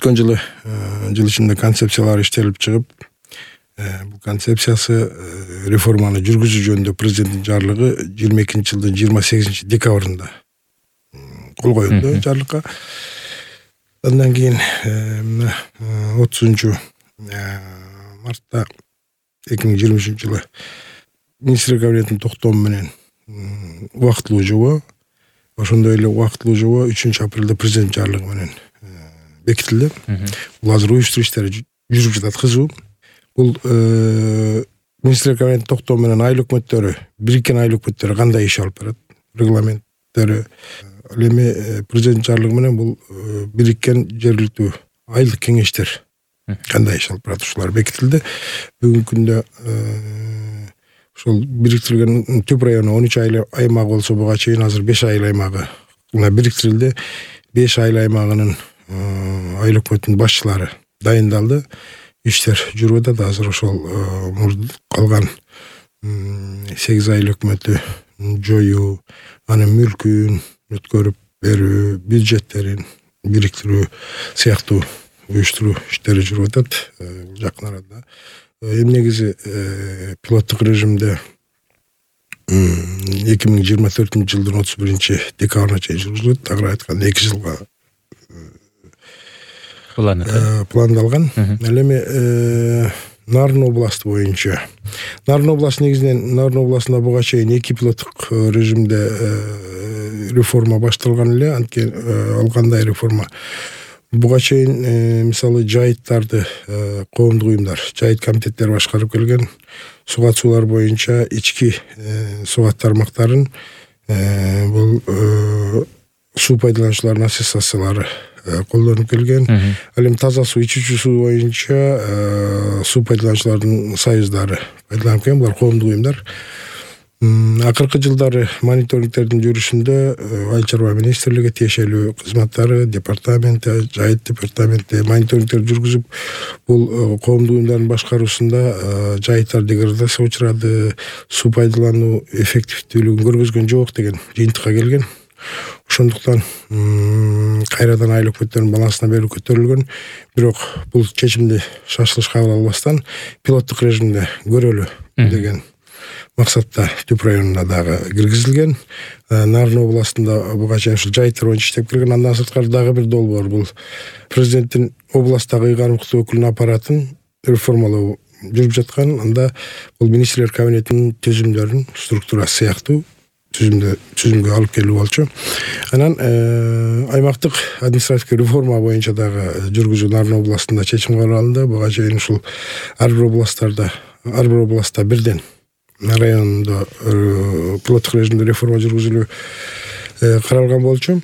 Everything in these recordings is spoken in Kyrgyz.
өткөн жылы жыл ичинде концепциялар иштелип чыгып, бул концепциясы реформаны жүргүзүү жөнүндө президенттин жарлыгы 22-жылдын 28-декабрында кол коюлду жарлыкка. Андан кийин 30-мартта 2023-жылы министрлер кабинетинин токтому менен убактылуу жобо, ошондой эле убактылуу жобо 3-апрелде президент жарлыгы менен бекитилди. Бул азыр уюштуруу иштери жүрүп жатат кызуу. Бул министрлер кабинетинин токтому менен айыл өкмөттөрү, бириккен айыл өкмөттөрү кандай иш алып барат, регламенттери. Ал эми президент жарлыгы менен бул бириккен жергиликтүү айылдык кеңештер кандай иш алып барат, ушулар бекитилди. Бүгүнкү күндө ошол бириктирилген түп району 13 айыл аймагы болсо, буга чейин азыр 5 айыл аймагы бириктирилди. 5 айыл аймагынын айыл өкмөтүнүн башчылары дайындалды. Иштер жүрүп атат. Азыр ошол калган 8 айыл өкмөтү жоюу, анын мүлкүн өткөрүп берүү, бюджеттерин бириктирүү сыяктуу уюштуруу иштери жүрүп атат жакын арада. Эми негизи пилоттук режимде 2024-жылдын 31-декабрына чейин жүргүзүлөт. Тагыраак айтканда 2 жылга пландалган. Ал эми Нарын областы боюнча. Нарын областы негизинен Нарын областында буга чейин 2 пилоттук режимде реформа башталган эле. Анткени ал кандай реформа? Буга чейин мисалы жайыттарды коомдук уюмдар, жайыт комитеттери башкарып келген. Сугат суулар боюнча ички сугат тармактарын бул суу пайдалануучулардын ассоциациялары колдонуп келген. Ал эми таза суу, ичүүчү суу боюнча суу пайдалануучулардын союздары пайдаланып келген. Булар коомдук уюмдар. Акыркы жылдары мониторингтердин жүрүшүндө Айыл чарба министрлиги тиешелүү кызматтары, департаменти, жайыт департаменти мониторингтер жүргүзүп, бул коомдук уюмдардын башкаруусунда жайыттар деградацияга учурады, суу пайдалануу эффективдүүлүгүн көргөзгөн жок деген жыйынтыкка келген. Ошондуктан кайрадан айыл өкмөттөрүнүн балансына берүү көтөрүлгөн. Бирок бул чечимди шашылыш кабыл албастан пилоттук режимде көрөлү деген максатта түп районуна дагы киргизилген. Нарын областында буга чейин ушул жайыттар боюнча иштеп келген. Андан сырткары дагы бир долбоор, бул президенттин областтагы ыйгарымдык өкүлүнүн аппаратын реформалоо жүрүп жаткан. Анда бул министрлер кабинетинин түзүмдөрүн структурасы сыяктуу түзүмгө алып келүү болчу. Анан аймактык административдик реформа боюнча дагы жүргүзүү Нарын областында чечим кабыл алынды. Буга чейин ушул ар бир областта бирден райондо пилоттук режимде реформа жүргүзүлүү каралган болчу.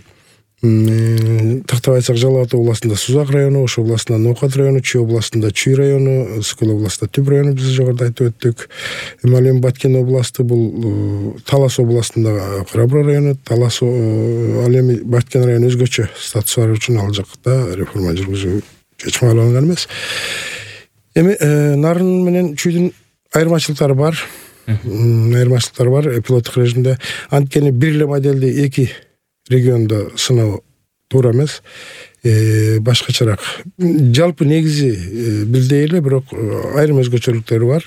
Тактап айтсак, Жалал Абад областында Сузак району, Ош областында Ноокат району, Чүй областында Чүй району, Ысыкөл областында Түп району биз жогоруда айтып өттүк. Эми Баткен областы бул Талас областында Карабура району, Талас ал эми Баткен району өзгөчө статус бар үчүн ал жакта реформа жүргүзүү чечим кабыл алынган эмес. Эми Нарын менен Чүйдүн айырмачылыктары бар. Пилоттук режимде. Анткени бир эле модельди 2 региондо сыноо туура эмес. Башкачараак. Жалпы негизи бирдей эле, бирок айрым өзгөчөлүктөрү бар.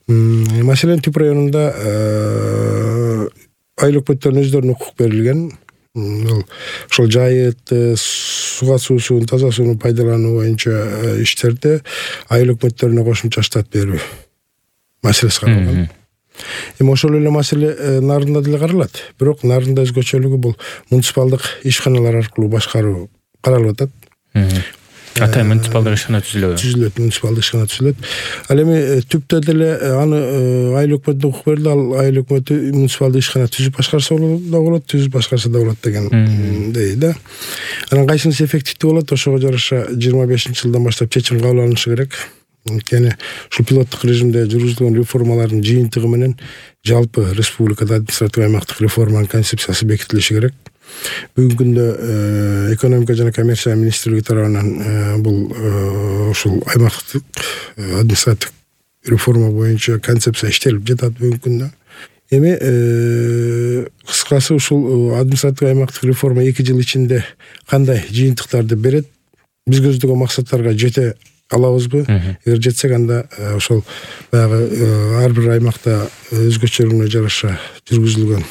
Маселен, Түп районунда айыл өкмөттөрүнүн өздөрүнө укук берилген. Ошол жайыт, сугат суусун, таза сууну пайдалануу боюнча иштерде айыл өкмөттөрүнө кошумча штат берүү маселеси каралган. Эми ошол эле маселе Нарында деле каралат. Бирок Нарында өзгөчөлүгү бул муниципалдык ишканалар аркылуу башкаруу каралып атат. Ата муниципалдык ишкана түзүлөт. Муниципалдык ишкана түзүлөт. Ал эми Түптө деле аны айыл өкмөтүнө укук берилди. Ал айыл өкмөтү муниципалдык ишкана түзүп башкарса да болот, түзүп башкарса да болот деген дейт. Анан кайсынысы эффективдүү болот, ошого жараша 25-жылдан баштап чечим кабыл алынышы керек. Анткени ушул пилоттук режимде жүргүзүлгөн реформалардын жыйынтыгы менен жалпы республикада административдик аймактык реформанын концепциясы бекитилиши керек. Бүгүнкү күндө экономика жана коммерция министрлиги тарабынан бул ушул аймактык административдик реформа боюнча концепция иштелип жатат бүгүнкү күндө. Эми кыскасы ушул административдик аймактык реформа 2 жыл ичинде кандай жыйынтыктарды берет? биз көздөгөн максаттарга жете алабызбы? Эгер жетсек, анда ошол баягы ар бир аймакта өзгөчөлүгүнө жараша жүргүзүлгөн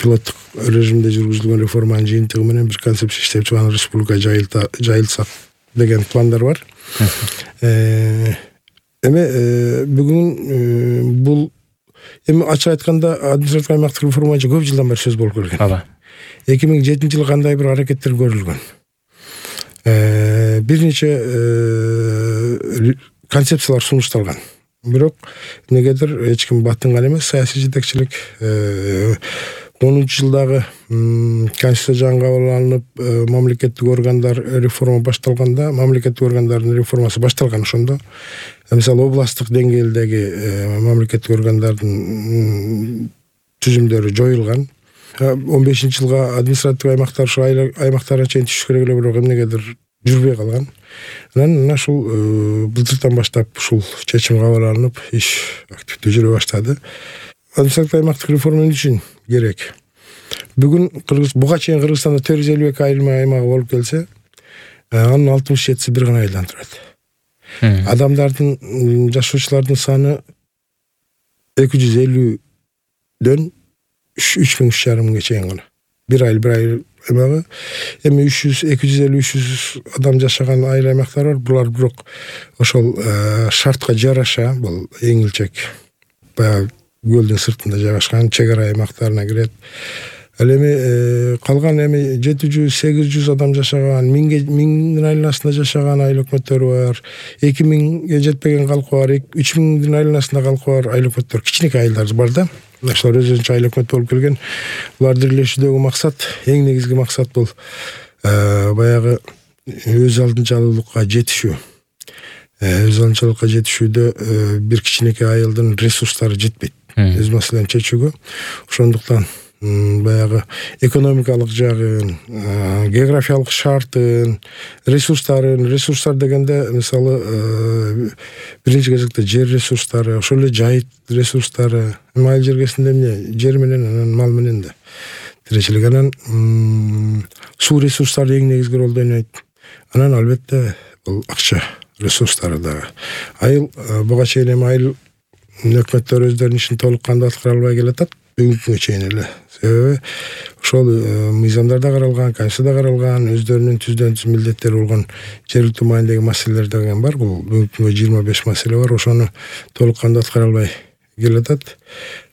пилоттук режимде жүргүзүлгөн реформанын жыйынтыгы менен бир концепция иштеп чыгып республикага жайылсак деген пландар бар. Эми бүгүн бул эми ачык айтканда административдик аймактык реформа көп жылдан бери сөз болуп келген. Ооба. 2007-жылы кандай бир аракеттер көрүлгөн. Бир нече концепциялар сунушталган. Бирок эмнегедир эч ким батынган эмес. Саясий жетекчилик 10-жылдагы Конституция жаңы кабыл алынып, мамлекеттик органдар реформа башталганда, мамлекеттик органдардын реформасы башталган ошондо. Мисалы областтык деңгээлдеги мамлекеттик органдардын түзүмдөрү жоюлган. 15-жылга административдик аймактар ушу аймактарга чейин түшүш керек эле, бирок эмнегедир жүрбөй калган. Анан ушул былтыртан баштап ушул чечим кабыл алынып, иш активдүү жүрө баштады. Административдик аймактык реформа эмне үчүн керек? Бүгүн буга чейин Кыргызстанда 452 айрым аймагы болуп келсе, анын 67си бир гана айылдан турат. Адамдардын, жашоочулардын саны 250дөн 3,5 чейин гана. Бир айыл аймагы. Эми 250-300 адам жашаган айыл аймактар бар. Булар бирок ошол шартка жараша, бул эң илчек баягы көлдүн сыртында жайгашкан чек ара аймактарына кирет. Ал эми калган эми 700-800 адам жашаган, 1000дин айланасында жашаган айыл өкмөттөрү бар. 2000ге жетпеген калкы бар, 3000дин айланасында калкы бар айыл өкмөттөр, кичинекей айылдар бар да. Ошолор өзүнчө айыл өкмөт болуп келген. Буларды бирлешүүдөгү максат, эң негизги максат бул баягы өз алдынчалуулукка жетишүү. Өз алдынчалуулукка жетишүүдө бир кичинекей айылдын ресурстары жетпейт. Өз маселени чечүүгө. Ошондуктан баягы экономикалык жагын, географиялык шартын, ресурстар дегенде мисалы биринчи кезекте жер ресурстары, ошол эле жайыт ресурстары, айыл жергесинде эмне, жер менен, анан мал менен да тиричилик, анан суу ресурстары эң негизги ролду ойнойт. Анан албетте бул акча ресурстары дагы. Айыл буга чейин эми айыл өкмөттөр өздөрүнүн ишин толук кандуу аткара албай келатат. Бүгүнкүгө чейин эле. Себеби ошол мыйзамдарда каралган, Конституцияда каралган, өздөрүнүн түз милдеттери болгон жергиликтүү маанидеги маселелер деген бар. Бул бүгүнкүгө 25 маселе бар. Ошону толук кандуу аткара албай келатат.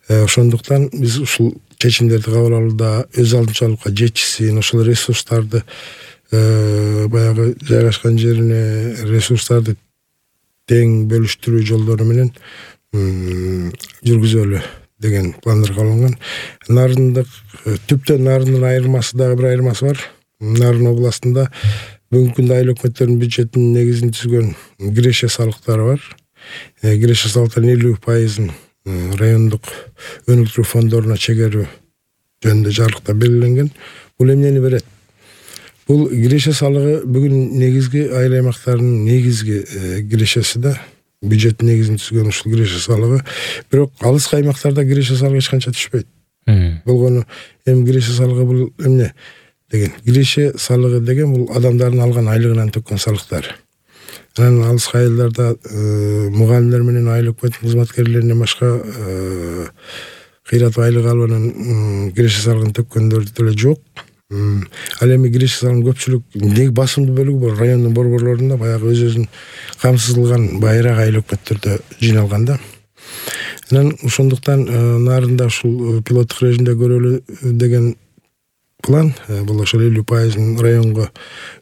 Ошондуктан биз ушул чечимдерди кабыл алууда өз алдынчалуулукка жетишсин, ошол ресурстарды баягы жайгашкан жерине ресурстарды тең бөлүштүрүү жолдору менен жүргүзөлү деген пландар кабыл. Нарындык түптөн Нарындын айырмасы дагы бир айырмасы бар. Нарын областында бүгүнкү күндө айыл өкмөттөрүнүн бюджетинин негизин түзгөн киреше салыктары бар. Киреше салыктарынын 50%-ын райондук өнүктүрүү фондоруна чегерүү жөнүндө жарлыкта белгиленген. Бул эмнени берет? Бул киреше салыгы бүгүн негизги айыл аймактарынын негизги кирешеси да. Бюджет негизин түзгөн ушул киреше салыгы. Бирок алыс аймактарда киреше салыгы эч канча түшпөйт. Болгону эми киреше салыгы бул эмне деген? Киреше салыгы деген бул адамдардын алган айлыгынан төккөн салыктар. Анан алыс айылдарда мугалимдер менен айыл өкмөт кызматкерлеринен башка кыйратып айлык алып анан киреше салыгын төккөндөр деле жок. Ал эми киреше салыгынын көпчүлүк басымдуу бөлүгү бул райондун борборлорунда баягы өзүнүн камсыздалган байраак айыл өкмөттөрдө жыйналган да. Анан ошондуктан Нарында ушул пилоттук режимде көрөлү деген план, бул ошол 50%-ын районго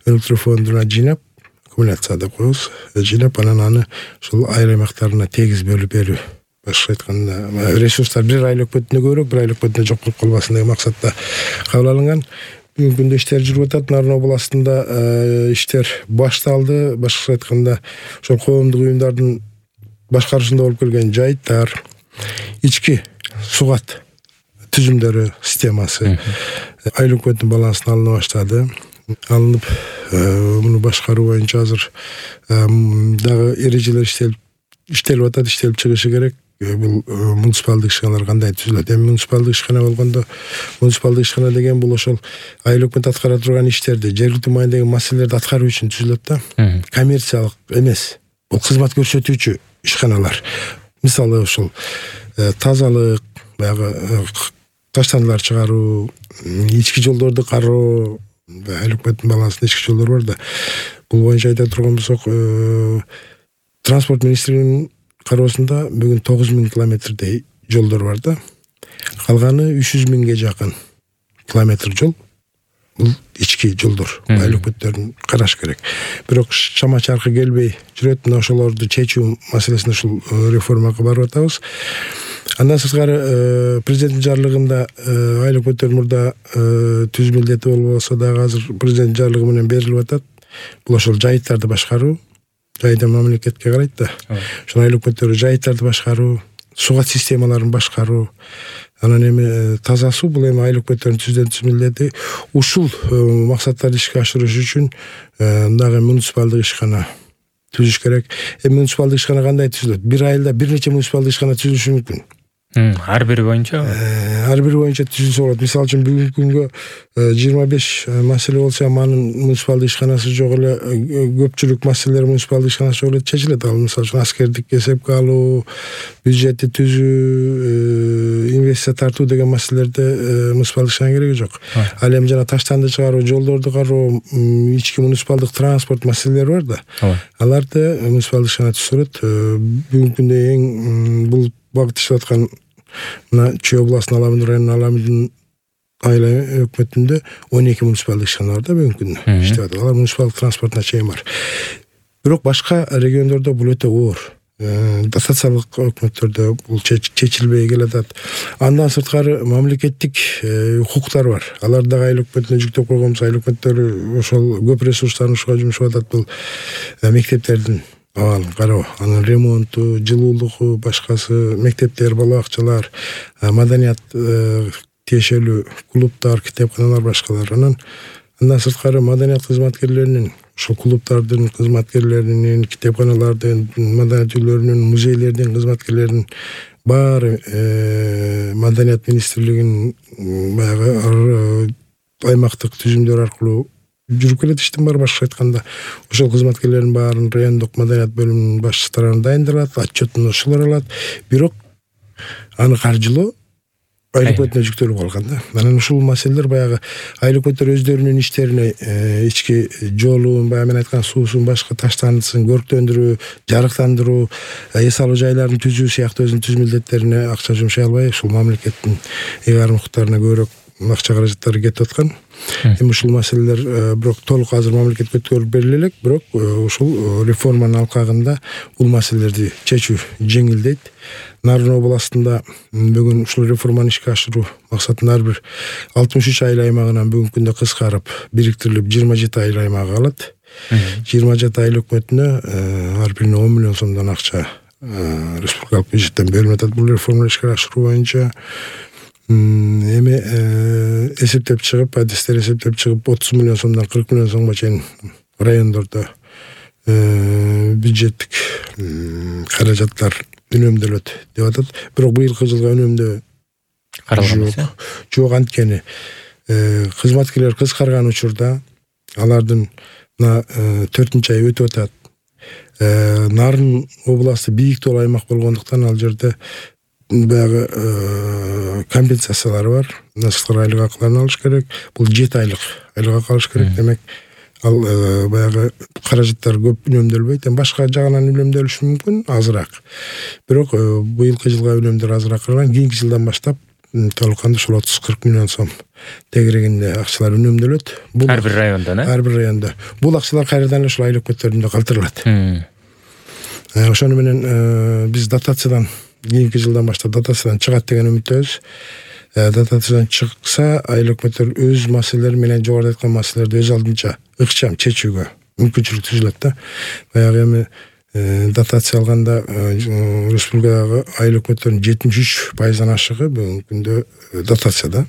өнүктүрүү фондуна жыйнап, аккумуляция деп коебуз, жыйнап анан аны ушул айыл аймактарына тегиз бөлүп берүү. Башка айтканда, ресурстар бир айыл өкмөтүнө көбүрөөк, бир айыл өкмөтүнө жок болуп калбасын деген максатта кабыл алынган. Бүгүнкү күндө иштер жүрүп атат. Нарын областында иштер башталды. Башкача айтканда, ошол коомдук уюмдардын башкарышында болуп келген жайыттар, ички сугат түзүмдөрү системасы айыл өкмөтүнүн балансына алына баштады. Алынып, муну башкаруу боюнча азыр дагы эрежелер иштелип атат, иштелип чыгышы керек. бул муниципалдык ишканалар кандай түзүлөт. Эми муниципалдык ишкана болгондо, муниципалдык ишкана деген бул ошол айыл өкмөт аткара турган иштерди, жергиликтүү маанидеги маселелерди аткаруу үчүн түзүлөт да. Коммерциялык эмес. Бул кызмат көрсөтүүчү ишканалар. Мисалы ошол тазалык, баягы таштандылар чыгаруу, ички жолдорду кароо, айыл өкмөттүн балансында ички жолдор бар да. Бул боюнча айта турган болсок, транспорт министрлигинин кароосунда бүгүн 9000 километрдей жолдор бар да. Калганы 300 миңге жакын километр жол. Бул ички жолдор. Айыл өкмөттөрүн караш керек. Бирок чама чаркы келбей жүрөт. Мына ошолорду чечүү маселесинде ушул реформага барып атабыз. Андан сырткары президенттин жарлыгында айыл өкмөттөр мурда түз милдети болбосо дагы азыр президент жарлыгы менен берилип атат. Бул ошол жайыттарды башкаруу. Жайда мамлекетке карайт да. Ошол айыл өкмөттөрү жайыттарды башкаруу, сугат системаларын башкаруу, анан эми таза суу, бул эми айыл өкмөттөрүнүн түз милдети. Ушул максаттарды ишке ашырыш үчүн дагы муниципалдык ишкана түзүш керек. Эми муниципалдык ишкана кандай түзүлөт? Бир айылда бир нече муниципалдык ишкана түзүлүшү мүмкүн. Ар бири боюнча? Ар бири боюнча түзүлсө болот. Мисалы үчүн бүгүнкү күнгө 25 маселе болсо, анын муниципалдык ишканасы жок эле, көпчүлүк маселелер муниципалдык ишканасы жок эле чечилет. Ал мисалы үчүн аскердик эсепке алуу, бюджетти түзүү, инвестиция тартуу деген маселелерде муниципалдык ишкана кереги жок. Ал эми жана таштанды чыгаруу, жолдорду кароо, ички муниципалдык транспорт маселелери бар да. Аларды муниципалдык ишкана түзүлөт. Бүгүнкү күндө эң бул багыт иштеп аткан мына Чүй областынын Аламин районунун Аламин айыл өкмөтүндө 12 муниципалдык ишкана бар да бүгүнкү күндө иштеп атат. Алар муниципалдык транспортуна чейин бар. Бирок башка региондордо бул өтө оор. Дотациялык өкмөттөрдө бул чечилбей келатат. Андан сырткары мамлекеттик укуктар бар. Алар дагы айыл өкмөтүнө жүктөп койгонбуз. Айыл өкмөттөрү ошол көп ресурстарын ушуга жумшап атат. Бул мектептердин абалын кароо, анын ремонту, жылуулугу, башкасы, мектептер, бала бакчалар, маданият тиешелүү клубтар, китепканалар, башкалар. Андан сырткары маданият кызматкерлеринин, ошол клубтардын кызматкерлеринин, китепканалардын, маданият үйлөрүнүн, музейлердин кызматкерлеринин баары маданият министрлигинин баягы аймактык түзүмдөр аркылуу жүрүп келет иштин бар. Башка айтканда, ошол кызматкерлердин баарын райондук маданият бөлүмүнүн башчылары дайындалат, отчетун ошолор алат. Бирок аны каржылоо айыл өкмөтүнө жүктөлүп калган да. Анан ушул маселелер баягы айыл өкмөттөр өздөрүнүн иштерине ички жолун, баягы мен айткан суусун, башка таштандысын көрктөндүрүү, жарыктандыруу, эс алуу жайларын түзүү сыяктуу өзүнүн түз милдеттерине акча жумшай албай, ушул мамлекеттин ыйгарым укуктарына көбүрөөк акча каражаттары кетип аткан. Эми ушул маселелер бирок толук азыр мамлекетке өткөрүлүп бериле элек, бирок ушул реформанын алкагында бул маселелерди чечүү жеңилдейт. Нарын областында бүгүн ушул реформаны ишке ашыруу максатында ар бир 63 айыл аймагынан бүгүнкү күндө кыскарып, бириктирилип 27 айыл аймагы калат. 27 айыл өкмөтүнө ар бирине 10 миллион сомдон акча республикалык бюджеттен берилип атат бул реформаны ишке ашыруу боюнча. Эми эсептеп чыгып, адистер эсептеп чыгып 30 миллион сомдон 40 миллион сомго чейин райондордо бюджеттик каражаттар үнөмдөлөт деп атат. Бирок быйылкы жылга үнөмдөө каралган жок. Анткени кызматкерлер кыскарган учурда алардын 4-ай өтүп атат. Нарын областы бийик тоол аймак болгондуктан ал жерде баягы компенсациялары бар. Насыктар айлык акыларын алыш керек. Бул 7 айлык айлык акы алыш керек. Демек ал баягы каражаттар көп үнөмдөлбөйт. Башка жагынан үнөмдөлүшү мүмкүн, азыраак. Бирок быйылкы жылга үнөмдөр азыраак калган. Кийинки жылдан баштап толукканда ушул 30-40 миллион сом тегерегинде акчалар үнөмдөлөт. Бул ар бир районда, ар бир районда. Бул акчалар кайрадан эле ушул айыл өкмөттөрүндө калтырылат. Ошону менен биз дотациядан кийинки жылдан баштап дотациядан чыгат деген үмүттөбүз. Дотациядан чыкса, айыл өкмөттөр өз маселелери менен жогоруда айткан маселелерди өз алдынча ыкчам чечүүгө мүмкүнчүлүк түзүлөт да. Баягы эми дотация алганда республикадагы айыл өкмөттөрүнүн 73%-дан ашыгы бүгүнкү күндө дотацияда.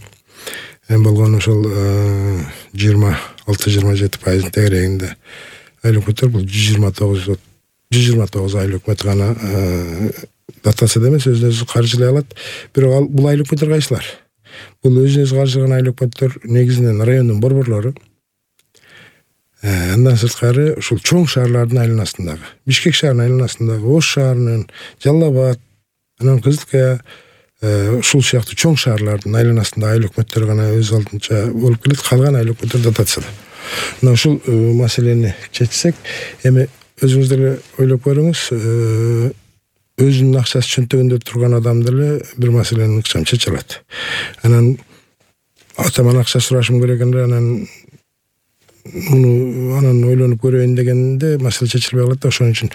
Эми болгон ошол 26-27% тегерегинде айыл өкмөттөр бул 129 айыл өкмөт гана дотация эмес, өзүнө каржылай алат. Бирок бул айыл өкмөттөр кайсылар? Бул өзүнө каржылаган айыл өкмөттөр негизинен райондун борборлору. Андан сырткары ушул чоң шаарлардын айланасындагы, Бишкек шаарынын айланасындагы, Ош шаарынын, Жалал Абад, анан Кызылкая, ушул сыяктуу чоң шаарлардын айланасындагы айыл өкмөттөр гана өз алдынча болуп келет. Калган айыл өкмөттөр дотацияда. Мына ушул маселени чечсек, эми өзүңүз деле ойлоп көрүңүз, өзүнүн акчасы чөнтөгүндө турган адам деле бир маселени ыкчам чече алат. Анан атаман акча сурашым керек эле, анан ойлонуп көрөйүн дегенде маселе чечилбей калат да. Ошон үчүн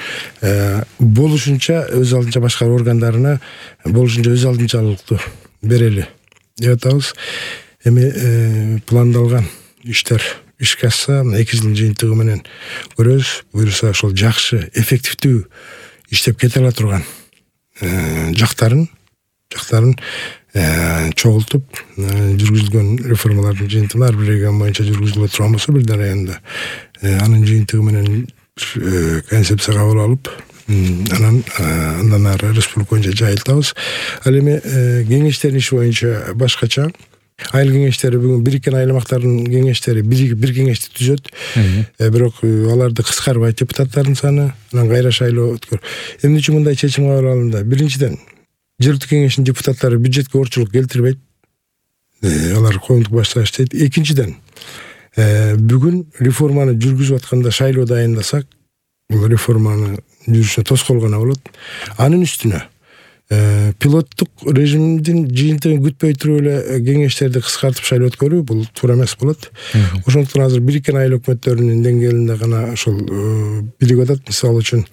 болушунча өз алдынча башкаруу органдарына болушунча өз алдынчалыктуу берели деп атабыз. Эми пландалган иштер ишке ашса, 2 жылдын жыйынтыгы менен көрөбүз. Буюрса ошол жакшы, эффективдүү иштеп кете ала турган жактарын чогултуп жүргүзүлгөн реформалардын жыйынтыгында ар бир регион боюнча жүргүзүлө турган болсо, бирден районда анын жыйынтыгы менен концепция кабыл алып, андан ары республика боюнча жайылтабыз. Ал эми кеңештердин иши боюнча башкача. Айыл кеңештери бүгүн бириккен аймактардын кеңештери бир кеңешти түзөт. Бирок аларды кыскарбайт депутаттардын саны, анан кайра шайлоо өткөр. Эмне үчүн мындай чечим кабыл алынды? Биринчиден, жергиликтүү кеңештин депутаттары бюджетке орчулук келтирбейт. Алар коомдук башчылар иштейт. Экинчиден, бүгүн реформаны жүргүзүп атканда шайлоо дайындасак, бул реформаны жүрүшүнө тоскоол гана болот. Анын үстүнө пилоттук режимдин жыйынтыгын күтпөй туруп эле кеңештерди кыскартып шайлоо өткөрүү бул туура эмес болот. Ошондуктан азыр бириккен айыл өкмөттөрүнүн деңгээлинде гана ошол бийлип атат. Мисалы үчүн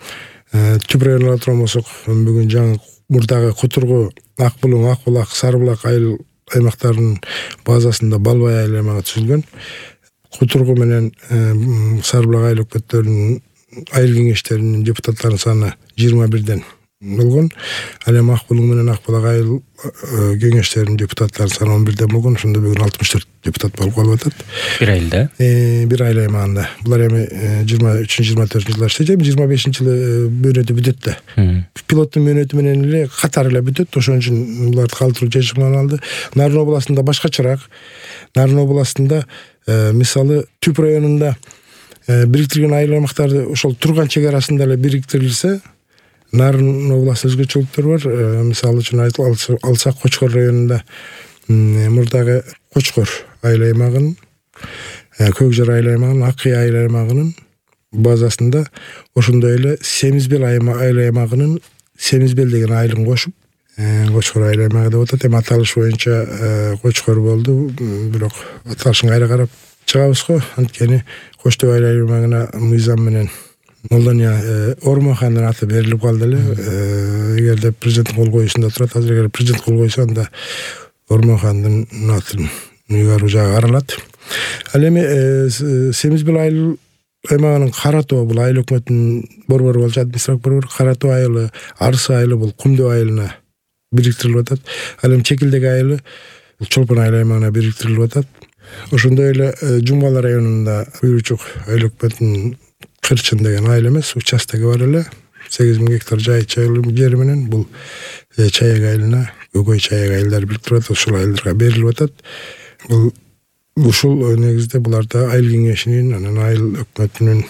түп районго ала турган болсок, бүгүн жаңы мурдагы Кутургу, Ак Булуң, Ак Булак, Сары Булак айыл аймактарынын базасында Балбай айыл аймагы түзүлгөн. Кутургу менен Сары Булак айыл өкмөттөрүнүн айыл кеңештеринин депутаттарынын саны 21ден болгон. Ал эми Ак Булуң менен Ак Булак айыл кеңештеринин депутаттарынын саны 11ден болгон. Ошондо бүгүн 64 депутат болуп калып атат. Бир айылда? Бир айыл аймагында. Булар эми 23-24 жылдар иштейт. 25-жылы мөөнөтү бүтөт да. Пилоттун мөөнөтү менен эле катары эле бүтөт. Ошон үчүн буларды калтыруу чечим алынды. Нарын областында башкачараак. Нарын областында мисалы Түп районунда бириктирген айыл аймактарды ошол турган чек арасында эле бириктирилсе, Нарын областында өзгөчөлүктөр бар. Мисалы үчүн алсак Кочкор районунда мурдагы Кочкор айыл аймагынын, Көкжар айыл аймагынын, Ак Кый айыл аймагынын базасында ошондой эле Семизбел айыл аймагынын Семизбел деген айылын кошуп, Кочкор айыл аймагы деп атат. Эми аталыш боюнча Кочкор болду, бирок аталышын кайра карап чыгабыз го. Анткени Коштоо айыл аймагына мыйзам менен Молдания Ормохандын аты берилип калды эле. Эгерде президенттин кол коюусунда турат, азыр эгер президент кол койсо, анда Ормохандын атын ыйгаруу жагы каралат. Ал эми Семизбел айыл аймагынын Каратоо, бул айыл өкмөтүнүн борбору болчу, административдик борбор. Каратоо айылы, Арсы айылы бул Кумдөө айылына бириктирилип атат. Ал эми Чекилдек айылы бул Чолпон айыл аймагына бириктирилип атат. Ошондой эле Жумгала районунда Куйручук айыл өкмөтүнүн Кырчын деген айыл эмес, участогу бар эле. 8000 гектар жайылым жери менен бул Чаяк айылына, Көкөй Чаяк айылдары бириктирип атат, ушул айылдарга берилип атат. Бул ушул негизде буларда айыл кеңешинин, анан айыл өкмөтүнүн,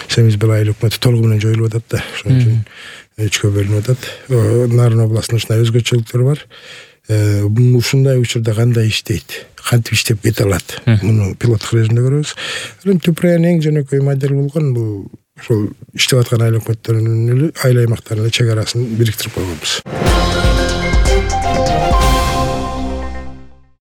Семизбел айыл өкмөтү толугу менен жоюлуп атат да. Ошон үчүн 3кө бөлүнүп атат. Нарын областында ушундай өзгөчөлүктөр бар. Ушундай учурда кандай иштейт, кантип иштеп кете алат, муну пилоттук режимде көрөбүз. Түп район эң жөнөкөй модель болгон бул ошол иштеп аткан айыл өкмөттөрүнүн айыл аймактарынын чек арасын бириктирип койгонбуз.